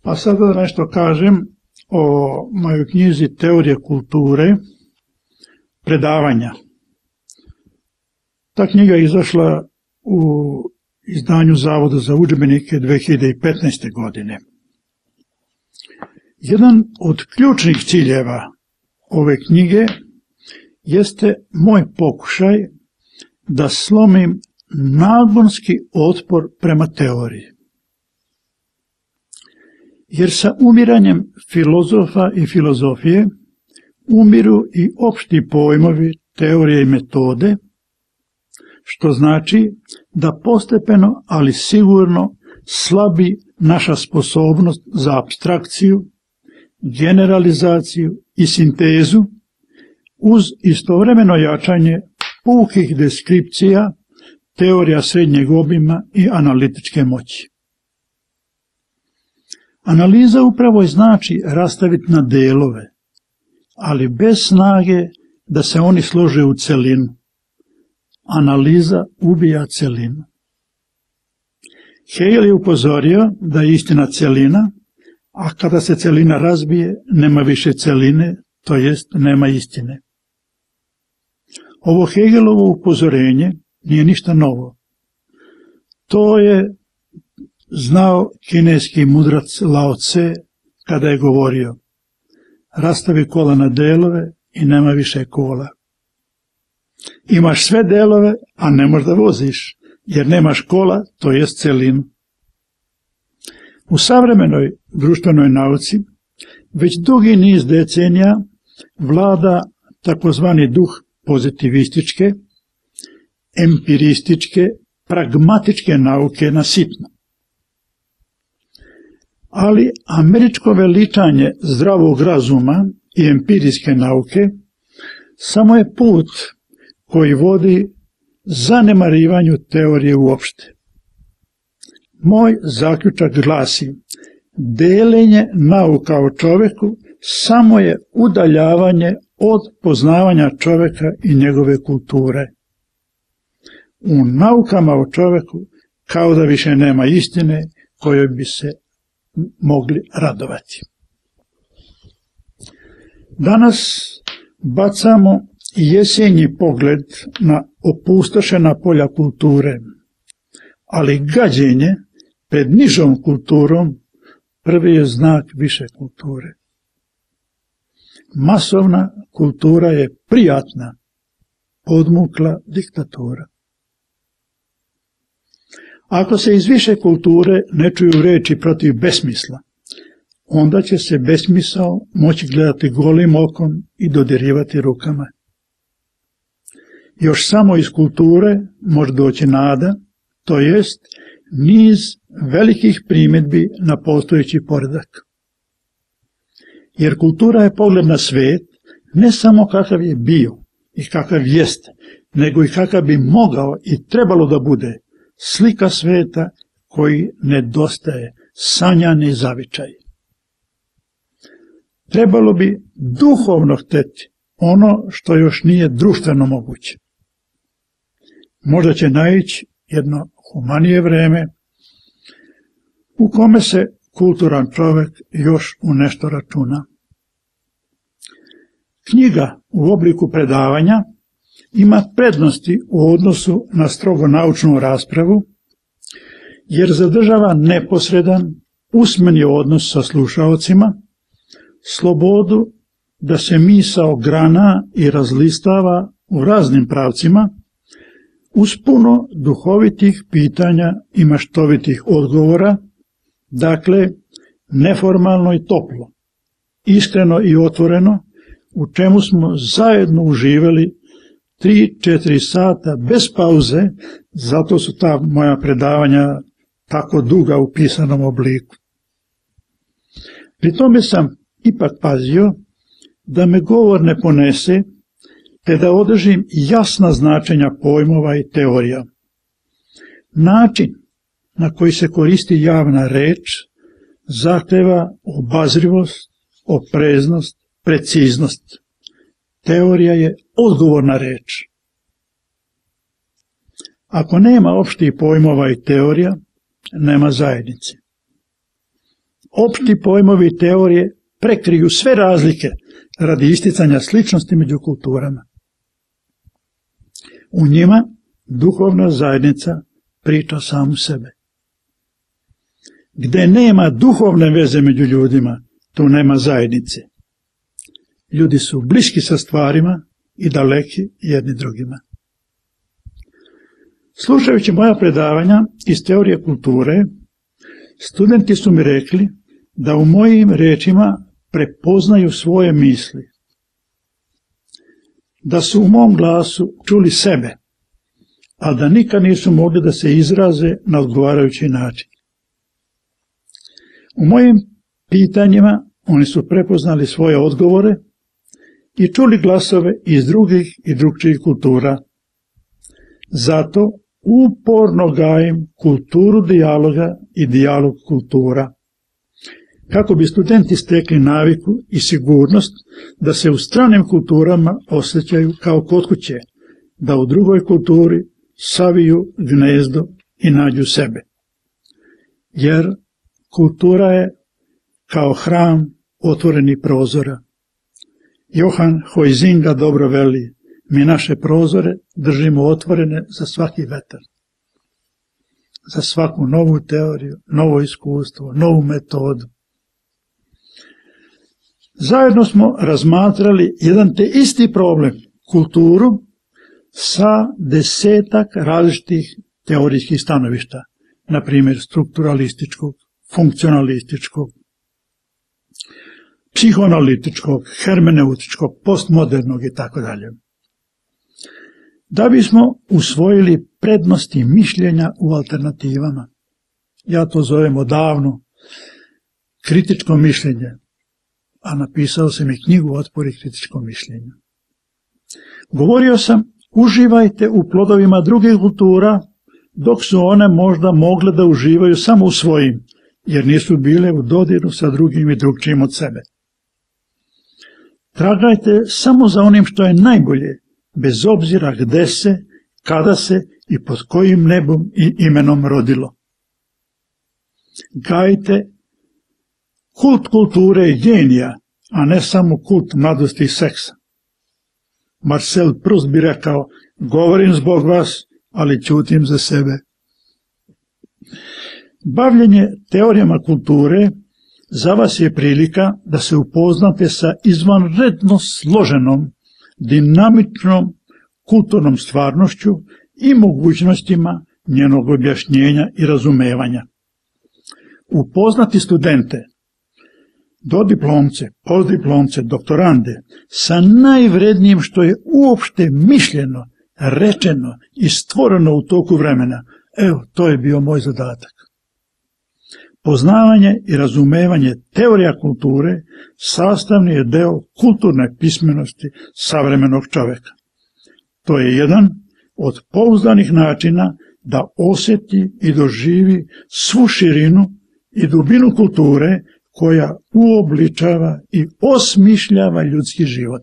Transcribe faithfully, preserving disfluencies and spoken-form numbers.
A sada da nešto kažem o mojoj knjizi Teorije kulture, predavanja. Ta knjiga je izašla u izdanju Zavoda za udžbenike dve hiljade petnaeste. godine. Jedan od ključnih ciljeva ove knjige jeste moj pokušaj da slomim nagonski otpor prema teoriji. Jer sa umiranjem filozofa i filozofije umiru i opšti pojmovi, teorije i metode, što znači da postepeno, ali sigurno, slabi naša sposobnost za apstrakciju, generalizaciju i sintezu uz istovremeno jačanje pukih deskripcija, teorija srednjeg obima i analitičke moći. Analiza upravo znači rastaviti na delove, ali bez snage da se oni slože u celinu. Analiza ubija celinu. Hegel je upozorio da je istina celina, a kada se celina razbije, nema više celine, to jest nema istine. Ovo Hegelovo upozorenje nije ništa novo. To je znao kineski mudrac Lao Tse kada je govorio: rastavi kola na delove i nema više kola. Imaš sve delove, a ne možeš da voziš, jer nemaš kola, to jest celinu. U savremenoj društvenoj nauci već dugi niz decenija vlada takozvani duh pozitivističke, empirističke, pragmatičke nauke na sitno. Ali američko veličanje zdravog razuma i empirijske nauke samo je put koji vodi zanemarivanju teorije uopšte. Moj zaključak glasi: delenje nauka o čoveku samo je udaljavanje od poznavanja čoveka i njegove kulture. U naukama o čoveku kao da više nema istine kojoj bi se mogli radovati. Danas bacamo jesenji pogled na opustošena polja kulture, ali gađenje pred nižom kulturom prvi je znak više kulture. Masovna kultura je prijatna, podmukla diktatura. Ako se iz više kulture ne čuju reči protiv besmisla, onda će se besmisao moći gledati golim okom i dodirivati rukama. Još samo iz kulture može doći nada, to jest niz velikih primjedbi na postojeći poredak. Jer kultura je pogled na svet, ne samo kakav je bio i kakav jeste, nego i kakav bi mogao i trebalo da bude, slika sveta koji nedostaje, sanjani zavičaj. Trebalo bi duhovno hteti ono što još nije društveno moguće. Možda će naići jedno humanije vreme u kome se kulturan čovek još u nešto računa. Knjiga u obliku predavanja ima prednosti u odnosu na strogo naučnu raspravu, jer zadržava neposredan, usmeni odnos sa slušaocima, slobodu da se misao grana i razlistava u raznim pravcima, uz puno duhovitih pitanja i maštovitih odgovora, dakle, neformalno i toplo, iskreno i otvoreno, u čemu smo zajedno uživali tri četiri sata bez pauze, zato su ta moja predavanja tako duga u pisanom obliku. Pri tome sam ipak pazio da me govor ne ponese, te da održim jasna značenja pojmova i teorija. Način na koji se koristi javna reč zahteva obazrivost, opreznost, preciznost. Teorija je odgovorna reč. Ako nema opštih pojmova i teorija, nema zajednice. opšti pojmovi i teorije prekriju sve razlike radi isticanja sličnosti među kulturama. U njima duhovna zajednica priča samu sebe. Gde nema duhovne veze među ljudima, tu nema zajednice. Ljudi su bliski sa stvarima i daleki jedni drugima. Slušajući moja predavanja iz teorije kulture, studenti su mi rekli da u mojim rečima prepoznaju svoje misli, da su u mom glasu čuli sebe, a da nikad nisu mogli da se izraze na odgovarajući način. U mojim pitanjima oni su prepoznali svoje odgovore i čuli glasove iz drugih i drugčijih kultura. Zato uporno gajim kulturu dijaloga i dijalog kultura, kako bi studenti stekli naviku i sigurnost da se u stranim kulturama osjećaju kao kod kuće, da u drugoj kulturi saviju gnezdo i nađu sebe. Jer kultura je kao hram otvorenih prozora. Johan Huizinga dobro veli, mi naše prozore držimo otvorene za svaki vetar, za svaku novu teoriju, novo iskustvo, novu metodu. Zajedno smo razmatrali jedan te isti problem, kulturu, sa desetak različitih teorijskih stanovišta, na primjer strukturalističkog, funkcionalističkog, psihoanalitičkog, hermeneutičkog, postmodernog i tako dalje. Da bismo usvojili prednosti mišljenja u alternativama, ja to zovem odavno kritičko mišljenje, a napisao sam i knjigu Otpori kritičkom mišljenju. Govorio sam, uživajte u plodovima drugih kultura, dok su one možda mogle da uživaju samo u svojim, jer nisu bile u dodiru sa drugim i drugčijim od sebe. Tragajte samo za onim što je najbolje, bez obzira gde se, kada se i pod kojim nebom i imenom rodilo. Gajte kult kulture i genija, a ne samo kult mladosti i seksa. Marcel Proust bi rekao, govorim zbog vas, ali ćutim za sebe. Bavljenje teorijama kulture za vas je prilika da se upoznate sa izvanredno složenom, dinamičnom kulturnom stvarnošću i mogućnostima njenog objašnjenja i razumevanja. Upoznati studente, dodiplomce, postdiplomce, doktorande, sa najvrednijim što je uopšte mišljeno, rečeno i stvoreno u toku vremena, evo, to je bio moj zadatak. Poznavanje i razumevanje teorija kulture sastavni je deo kulturne pismenosti savremenog čoveka. To je jedan od pouzdanih načina da osjeti i doživi svu širinu i dubinu kulture koja uobličava i osmišljava ljudski život.